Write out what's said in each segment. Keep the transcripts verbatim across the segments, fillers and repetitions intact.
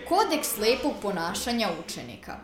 Kodeks lepog ponašanja učenika.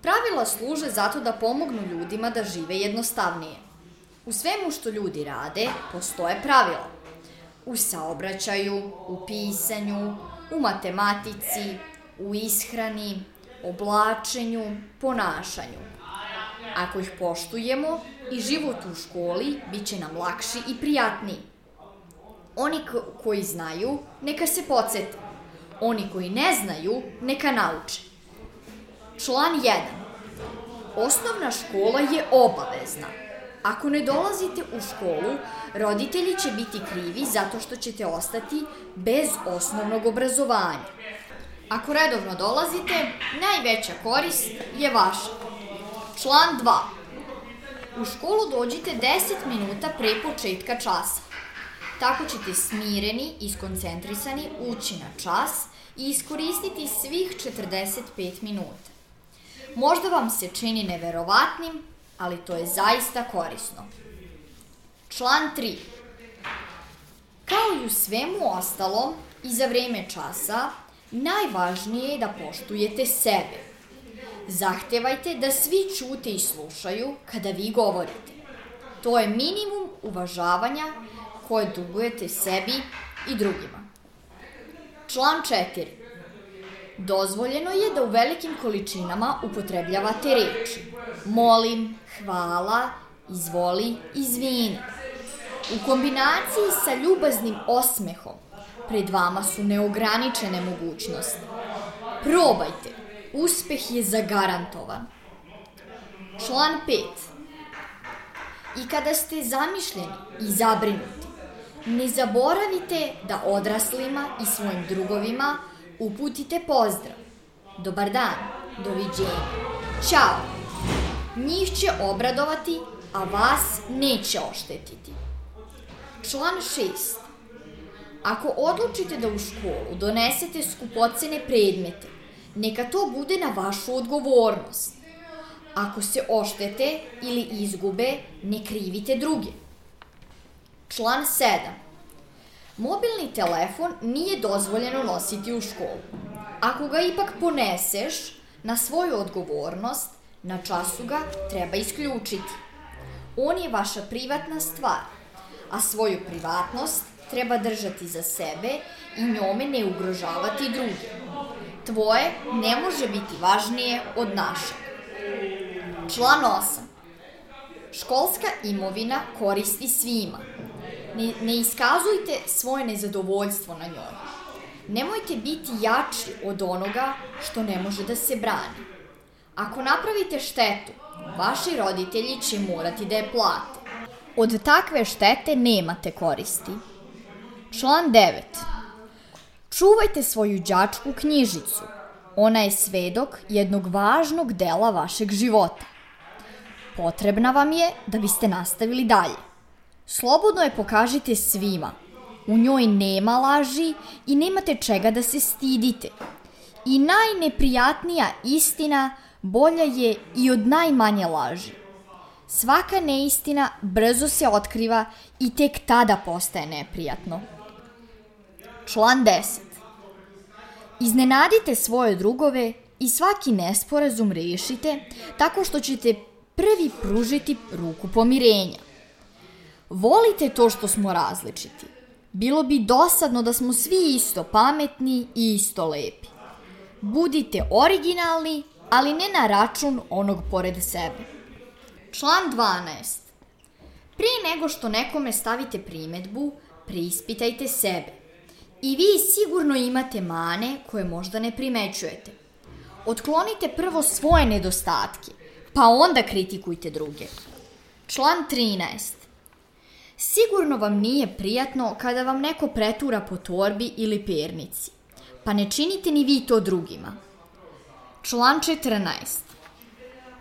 Pravila služe zato da pomognu ljudima da žive jednostavnije. U svemu što ljudi rade postoje pravila. U saobraćaju, u pisanju, u matematici, u ishrani, oblačenju, ponašanju. Ako ih poštujemo, i život u školi bit će nam lakši i prijatniji. Oni koji znaju, neka se podsete. Oni koji ne znaju, neka nauče. Član jedan. Osnovna škola je obavezna. Ako ne dolazite u školu, roditelji će biti krivi zato što ćete ostati bez osnovnog obrazovanja. Ako redovno dolazite, najveća korist je vaša. Član dva. U školu dođite deset minuta pre početka časa. Tako ćete smireni i skoncentrisani ući na čas i iskoristiti svih četrdeset pet minuta. Možda vam se čini neverovatnim, ali to je zaista korisno. Član tri. Kao i u svemu ostalom, i za vreme časa, najvažnije je da poštujete sebe. Zahtevajte da svi ćute i slušaju kada vi govorite. To je minimum uvažavanja koje dugujete sebi i drugima. Član četiri. Dozvoljeno je da u velikim količinama upotrebljavate reči molim, hvala, izvoli, izvini. U kombinaciji sa ljubaznim osmehom pred vama su neograničene mogućnosti. Probajte, uspeh je zagarantovan. Član pet. I kada ste zamišljeni i zabrinuti, ne zaboravite da odraslima i svojim drugovima uputite pozdrav. Dobar dan, doviđenja, ćao. Njih će obradovati, a vas neće oštetiti. Član šest. Ako odlučite da u školu donesete skupocene predmete, neka to bude na vašu odgovornost. Ako se oštete ili izgube, ne krivite druge. Član sedam. Mobilni telefon nije dozvoljeno nositi u školu. Ako ga ipak poneseš na svoju odgovornost, na času ga treba isključiti. On je vaša privatna stvar, a svoju privatnost treba držati za sebe i njome ne ugrožavati druge. Tvoje ne može biti važnije od našeg. Član osam. Školska imovina koristi svima. Ne, ne iskazujte svoje nezadovoljstvo na njoj. Nemojte biti jači od onoga što ne može da se brani. Ako napravite štetu, vaši roditelji će morati da je plate. Od takve štete nemate koristi. Član devet. Čuvajte svoju đačku knjižicu. Ona je svedok jednog važnog dela vašeg života. Potrebna vam je da biste nastavili dalje. Slobodno je pokažite svima. U njoj nema laži i nemate čega da se stidite. I najneprijatnija istina bolja je i od najmanje laži. Svaka neistina brzo se otkriva i tek tada postaje neprijatno. Član deset. Iznenadite svoje drugove i svaki nesporazum rešite tako što ćete prvi pružiti ruku pomirenja. Volite to što smo različiti. Bilo bi dosadno da smo svi isto pametni i isto lepi. Budite originalni, ali ne na račun onog pored sebe. Član dvanaest. Prije nego što nekome stavite primedbu, preispitajte sebe. I vi sigurno imate mane koje možda ne primećujete. Otklonite prvo svoje nedostatke, pa onda kritikujte druge. Član trinaest. Sigurno vam nije prijatno kada vam neko pretura po torbi ili pernici, pa ne činite ni vi to drugima. Član četrnaest.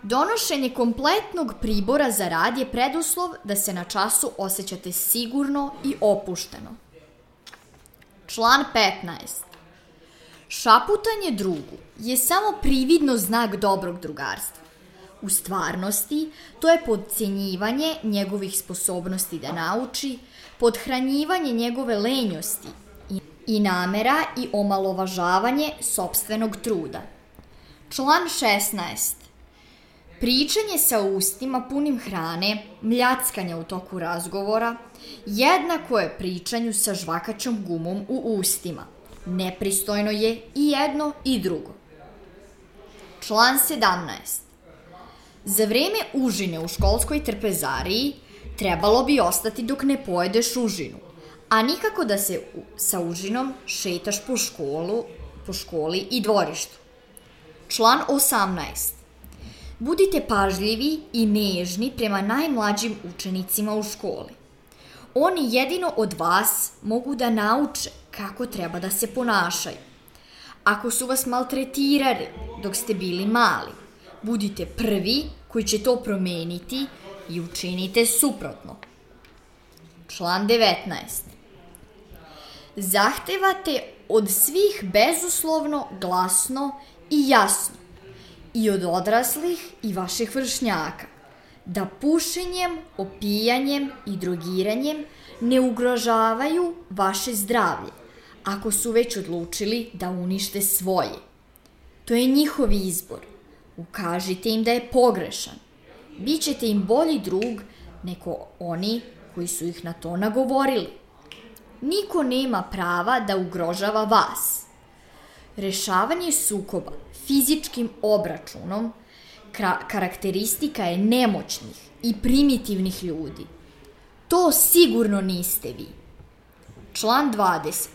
Donošenje kompletnog pribora za rad je preduslov da se na času osjećate sigurno i opušteno. Član petnaest. Šaputanje drugu je samo prividno znak dobrog drugarstva. U stvarnosti, to je potcenjivanje njegovih sposobnosti da nauči, pothranjivanje njegove lenjosti i namera i omalovažavanje sopstvenog truda. Član šesnaest. Pričanje sa ustima punim hrane, mljackanja u toku razgovora, jednako je pričanju sa žvakaćom gumom u ustima. Nepristojno je i jedno i drugo. Član sedamnaest. Za vreme užine u školskoj trpezariji trebalo bi ostati dok ne pojedeš užinu, a nikako da se sa užinom šetaš po školu, po školi i dvorištu. Član osamnaest. Budite pažljivi i nežni prema najmlađim učenicima u školi. Oni jedino od vas mogu da nauče kako treba da se ponašaju. Ako su vas maltretirali dok ste bili mali, budite prvi koji će to promeniti i učinite suprotno. Član devetnaest. Zahtevate od svih bezuslovno, glasno i jasno, i od odraslih i vaših vršnjaka, da pušenjem, opijanjem i drogiranjem ne ugrožavaju vaše zdravlje, ako su već odlučili da unište svoje. To je njihov izbor. Ukažite im da je pogrešan. Bićete im bolji drug nego oni koji su ih na to nagovorili. Niko nema prava da ugrožava vas. Rešavanje sukoba fizičkim obračunom karakteristika je nemoćnih i primitivnih ljudi. To sigurno niste vi. Član dvadeset.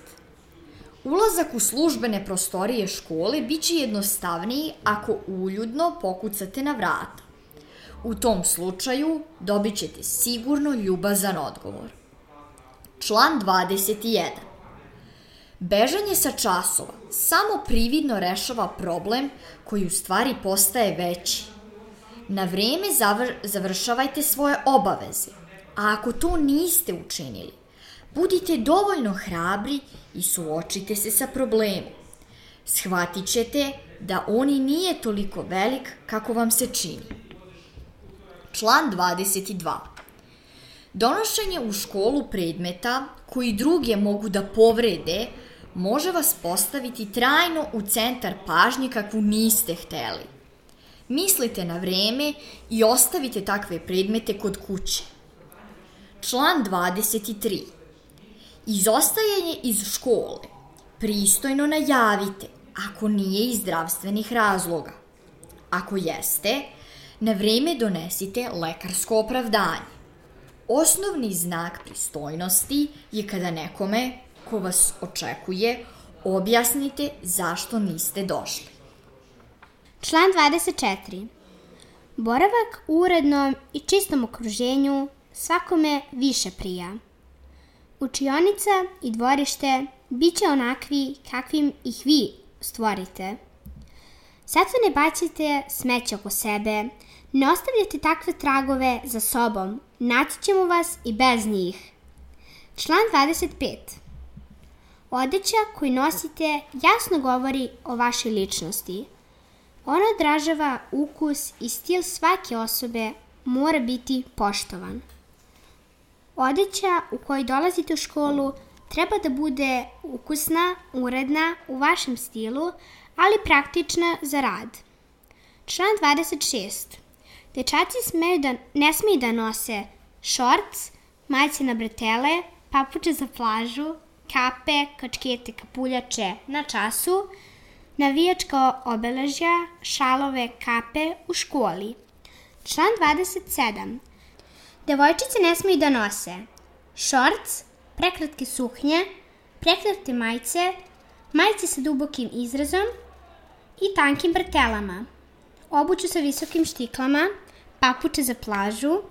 Ulazak u službene prostorije škole biće jednostavniji ako uljudno pokucate na vrata. U tom slučaju dobit ćete sigurno ljubazan odgovor. Član dvadeset jedan. Bežanje sa časova samo prividno rešava problem koji u stvari postaje veći. Na vreme zavr- završavajte svoje obaveze, a ako to niste učinili, budite dovoljno hrabri i suočite se sa problemom. Shvatit ćete da on i nije toliko velik kako vam se čini. Član dvadeset dva. Donošenje u školu predmeta koji druge mogu da povrede može vas postaviti trajno u centar pažnje kakvu niste hteli. Mislite na vreme i ostavite takve predmete kod kuće. Član dvadeset tri. Izostajanje iz škole pristojno najavite ako nije iz zdravstvenih razloga. Ako jeste, na vreme donesite lekarsko opravdanje. Osnovni znak pristojnosti je kada nekome ko vas očekuje objasnite zašto niste došli. Član dvadeset četiri. Boravak u urednom i čistom okruženju svakome više prija. Učionica i dvorište bit će onakvi kakvim ih vi stvorite. Zato ne bacite smeće oko sebe, ne ostavljate takve tragove za sobom, naći ćemo vas i bez njih. Član dvadeset pet. Odeća koju nosite jasno govori o vašoj ličnosti. Ona odražava ukus i stil svake osobe, mora biti poštovan. Odeća u kojoj dolazite u školu treba da bude ukusna, uredna, u vašem stilu, ali praktična za rad. Član dvadeset šest. Dečaci smeju da, ne smiju da nose šorc, majice na bretele, papuče za plažu, kape, kačkete, kapuljače na času, navijačka obeležja, šalove, kape u školi. Član dvadeset sedam. Devojčice ne smiju da nose šorc, prekratke suknje, prekratke majice, majice sa dubokim izrazom i tankim bretelama, obuću sa visokim štiklama, papuče za plažu,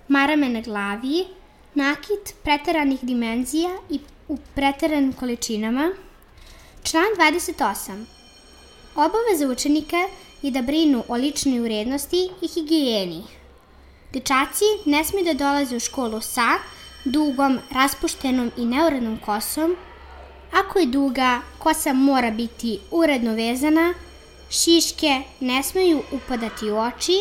marame na glavi, nakit preteranih dimenzija i u preteranim količinama. Član dvadeset osam. Obaveza učenika je da brinu o ličnoj urednosti i higijeni. Dečaci ne smiju da dolaze u školu sa dugom, raspuštenom i neurednom kosom. Ako je duga, kosa mora biti uredno vezana, šiške ne smeju upadati u oči,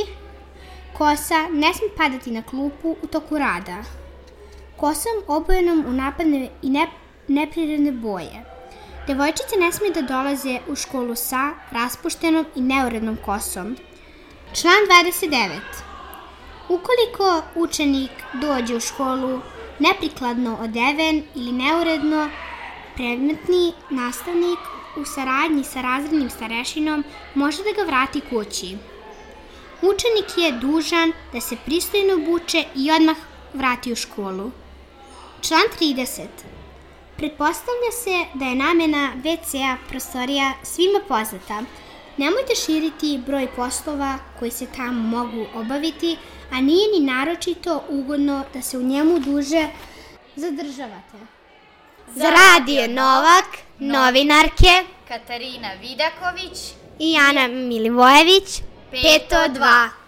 kosa ne sme padati na klupu u toku rada. Kosom obojenom u napadne i ne, neprirodne boje. Devojčice ne smiju da dolaze u školu sa raspuštenom i neurednom kosom. Član dvadeset devet. Ukoliko učenik dođe u školu neprikladno odeven ili neuredno, predmetni nastavnik u saradnji sa razrednim starešinom može da ga vrati kući. Učenik je dužan da se pristojno obuče i odmah vrati u školu. Član trideset. Pretpostavlja se da je namena ve ce-a prostorija svima poznata. Nemojte širiti broj poslova koji se tamo mogu obaviti, a nije ni naročito ugodno da se u njemu duže zadržavate. Za Radio Novak, novinarke Katarina Vidaković i Ana Milivojević, peto dva.